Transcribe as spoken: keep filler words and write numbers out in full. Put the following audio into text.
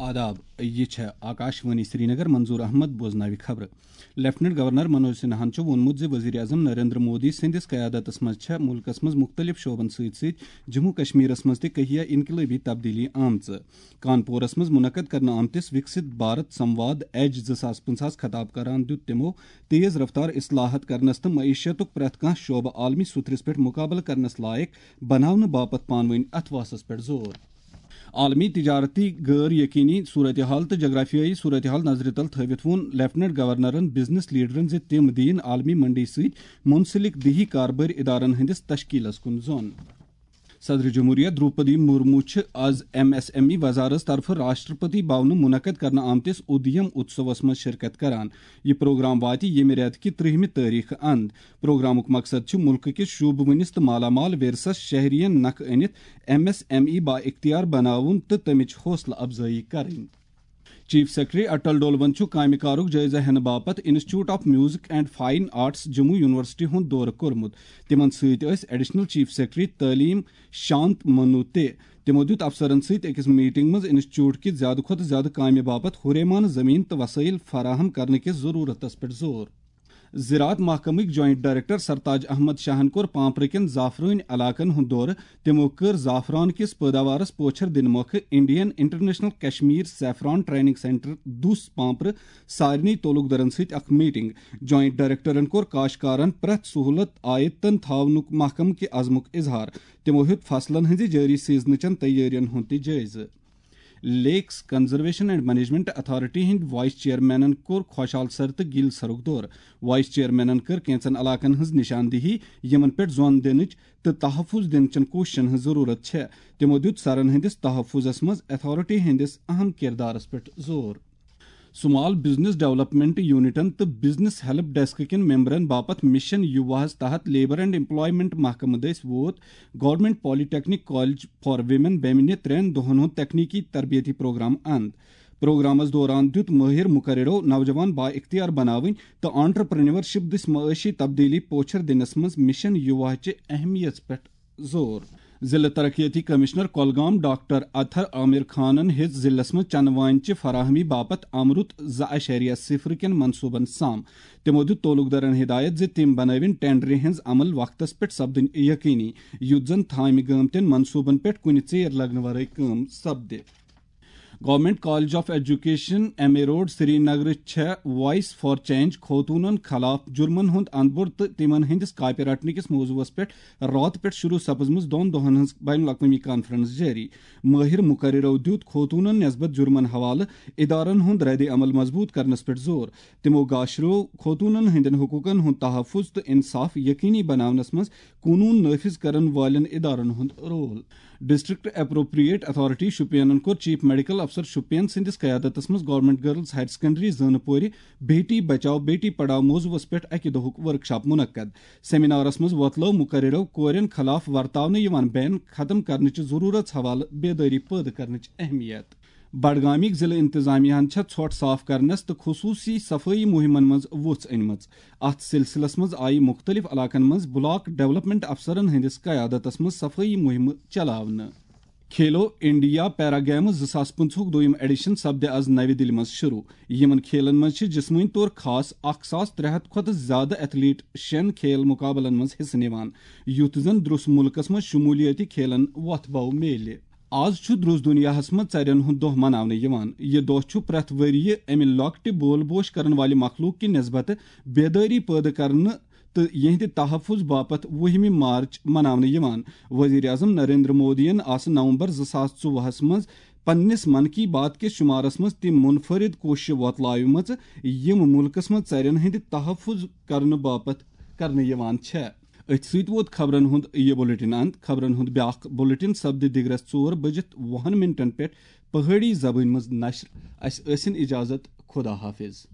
آداب، یہِ چھےٚ آکاشوانی سرینگر۔ منظور احمد بوزناوِ خبرٕ۔ لیفٹیننٹ گورنر منوج سنہاہن چھُ ووٚنمُت زِ وزیر اعظم نریندر مودی سٕنٛدِس قیادتس منٛز چھےٚ مُلکس منٛز مُختٔلِف شعبن سۭتۍ سۭتۍ جموں کشمیرس منٛز تہِ کہیہ انقلٲبی تبدیلی آمژٕ۔ کانپورس منٛز منعقد کرنہٕ آمتِس وکست بھارت سمواد ایج زٕ ساس پنٛژاہس خطاب کران دیُت تِمو تیز رفتار اصلاحات کرنس تہٕ معیشتُک پرٛٮ۪تھ کانٛہہ شعبہٕ عالمی سطحس پٮ۪ٹھ مقابلہٕ کرنس لایق بناونہٕ باپتھ پانہٕ ؤنۍ اتھواسس پٮ۪ٹھ زور۔ عالمی تجارتی غٲر یقینی صورتحال تہٕ جغرافیائی صورتحال نظرِ تل تھٲوِتھ ووٚن لیفٹیننٹ گورنرن بزنس لیڈرن زِ تِم دِیِن عالمی منڈی سۭتۍ منسلک دیہی کاربٲرۍ ادارن ہٕنٛدِس تشکیلس کُن زۄن۔ صدر جمہوریہ دروپدی مرمو چھِ از ایم ایس ایم ای وزارت طرفہٕ راشٹرپتی بھونہٕ منعقد کرنہٕ آمتِس ادیم اتسوس منٛز شرکت کران۔ یہِ پروگرام واتہِ ییٚمہِ رٮ۪تہٕ کہِ ترٛہمہِ تٲریخہٕ اند۔ پروگرامُک مقصد چھُ مُلکہٕ کِس شوٗبہٕ وٕنِس تہٕ مالامال ورثس شہرین نکھٕ أنِتھ ایم ایس ایم ای با اختیار بناوُن تہٕ تمِچ حوصلہٕ افزٲیی کرٕنۍ۔ چیف سیکرٹری اٹل ڈولون چھُ کامہِ کارُک جٲیزٕ ہینہٕ باپتھ institute of music and fine arts Jammu university ہُنٛد دورٕ کوٚرمُت۔ تِمن سۭتۍ ٲسۍ ایڈیشنل چیف سیکرٹری تعلیم شانت منو تہِ۔ تِمو دیُت افسرن سۭتۍ أکِس میٹنگ منٛز انسٹیٹیوٹ کہِ زیادٕ کھۄتہٕ زیادٕ کامہِ باپتھ ہُریمانہٕ زٔمیٖن تہٕ وسٲیِل فراہم کرنہٕ کِس ضروٗرتس پٮ۪ٹھ زور۔ زراعت محکمٕکۍ جوائنٹ ڈائریکٹر سرتاج احمد شاہن کوٚر پامپرٕ کٮ۪ن زعفرٲنۍ علاقن ہُنٛد دورٕ۔ تِمو کٔر زعفران کِس پٲداوارس پوچھر دِنہٕ مۄکھٕ Indian international Kashmir saffron training centre Dussu پامپرٕ سارنٕے تعلقدارن سۭتۍ اکھ میٹنگ۔ جوائنٹ ڈائریکٹرن کوٚر کاشتکارن پرٛٮ۪تھ سہولت آیتن تھاونُک محکمہٕ کہِ عزمُک اظہار۔ تِمو ہیوٚت فصلن ہٕنٛزِ جٲری سیزنہٕ چٮ۪ن تیٲرین ہُنٛد تہِ جٲیزٕ۔ لیکس کنزرویشن اینڈ مینجمنٹ اتھارٹی ہٕنٛدۍ وائس چیئرمینن کوٚر خۄشحال سر تہٕ گیل سرُک دورٕ۔ وائس چیئرمینن کٔر کینژن علاقن ہٕنٛز نشاندہی، یِمن پٮ۪ٹھ زۄن دِنٕچ تہٕ تحفظ دِنہٕ چٮ۪ن کوٗششن ہٕنٛز ضروٗرت چھےٚ۔ تِمو دیُت سرن ہٕنٛدِس تحفظس منٛز اتھارٹی ہٕنٛدِس اہم کردارس پٮ۪ٹھ زور۔ سمال بزنس ڈیولپمنٹ یونٹن تہٕ بزنس ہیلپ ڈیسک کٮ۪ن ممبرن باپتھ مشن یوواہس تحت لیبر اینڈ ایمپلائمنٹ محکمہٕ دٔسۍ ووت government polytechnic college for women بیمنہِ ترٛٮ۪ن دۄہن ہُنٛد تکنیکی تربیتی پروگرام اند۔ پروگرامس دوران دیُت مٲہر مقررو نوجوان با اختیار بناوٕنۍ تہٕ آنٹرپرینورشپ دٔسۍ معاشی تبدیلی پوچھر دِنس منٛز مشن یوواہچہِ اہمیت پٮ۪ٹھ زور۔ ضلع ترقیتی کمشنر کۄلگام ڈاکٹر اطہر عامر خانن ہیٚژ ضلعس منٛز چنہٕ وانہِ چہِ فراہمی باپتھ امرُت زٕ اعشاریہ صفر کٮ۪ن منصوٗبن سام۔ تِمو دیُت تعلقدارن ہدایت زِ تِم بنٲوِن ٹینڈرِ ہٕنٛز عمل وقتس پٮ۪ٹھ سپدٕنۍ یقینی، یُتھ زن تھامہِ گٲمتٮ۪ن منصوٗبن پٮ۪ٹھ کُنہِ ژیر لگنہٕ ورٲے کٲم سپدِ۔ Government college of education, M A road, Srinagar چھےٚ وائس فار چینج خوتونن خلاف جرمن ہُنٛد اندبوٚڑ تہٕ تِمن ہٕنٛدِس کاپہِ رٹنہٕ کِس موضوعس پٮ۪ٹھ راتہٕ پٮ۪ٹھ شروع سپٕزمٕژ دۄن دۄہن ہٕنٛز بین الاقوٲمی کانفرنس جٲری۔ مٲہر مقررو دیُت خوتونن نسبت جرمن حوالہٕ ادارن ہُنٛد رد عمل مضبوط کرنس پٮ۪ٹھ زور۔ تِمو گاشرو خوتونن ہٕنٛدٮ۪ن حقوقن ہُنٛد تحفظ تہٕ انصاف یقینی بناونس منٛز قونوٗن نافذ کرن والٮ۪ن ادارن ہُنٛد رول۔ ڈسٹرکٹ اپروپریٹ اتھارٹی شوپینن کوٚر چیف میڈیکل افسر شوپین سٕنٛدِس قیادتس منٛز گورنمنٹ گرلز ہائر سیکنڈری زٲنہٕ پورِ بیٹی بچاؤ بیٹی پڑھاؤ موضوعس پٮ۪ٹھ اکہِ دۄہُک ورکشاپ منعقد۔ سیمینارس منٛز وۄتلٲو مقررو کورٮ۪ن خلاف ورتاونہٕ یِوان بین ختم کرنٕچہِ ضروٗرت حوالہٕ بیدٲری پٲدٕ کرنٕچ اہمیت۔ بڈگامٕکۍ ضلع انتظامیہ ہن چھےٚ ژھۄٹھ صاف کرنس تہٕ خصوٗصی صفٲیی مُہِمن منٛز وُژھ أنمٕژ۔ اتھ سلسلس منٛز آیہِ مُختٔلِف علاقن منٛز بلاک ڈیولپمنٹ افسرن ہٕنٛدِس قیادتس منٛز صفٲیی مُہِمہٕ چلاونہٕ۔ کھیلو انڈیا پیرا گیمز زٕ ساس پٕنٛژٕہُک دوٚیِم ایڈیشن سپدِ از نوِ دِلہِ منٛز شروع۔ یِمن کھیلن منٛز چھِ جسمٲنی طور خاص اکھ ساس ترٛےٚ ہتھ کھۄتہٕ زیادٕ ایتھلیٹ شٮ۪ن کھیل مُقابلن منٛز حصہٕ نِوان، یُتھ زن درٛوس مُلکس منٛز شمولیٲتی کھیلن وۄتھ بو میلہِ۔ آز چھُ درٛوس دُنیاہس منٛز ژرٮ۪ن ہُنٛد دۄہ مناونہٕ یِوان۔ یہِ دۄہ چھُ پرٛٮ۪تھ ؤرۍ یہِ امہِ لۄکٹہِ بول بوش کرن والہِ مخلوق کہِ نسبتہٕ بیدٲری پٲدٕ کرنہٕ تہٕ یِہنٛدِ تحفظ باپتھ وُہمہِ مارچ مناونہٕ یِوان۔ وزیر اعظم نریندر مودیَن آسہٕ نومبر زٕ ساس ژوٚوُہس منٛز پننِس من کی بات کِس شمارس منٛز تِم منفرد کوششہٕ وۄتلٲومٕژ، یِم مُلکس منٛز ژرٮ۪ن ہٕنٛدِ تحفظ کرنہٕ باپتھ کرنہٕ یِوان چھےٚ۔ أتھۍ سۭتۍ ووت خبرن ہُنٛد یہِ بلیٹن اند۔ خبرن ہُنٛد بیاکھ بلیٹن سپدِ دِگرس ژور بٔجِتھ وُہن منٹن پٮ۪ٹھ پہٲڑی زبٲنۍ منٛز نشر۔ اسہِ ٲسِن اجازت، خدا حافظ۔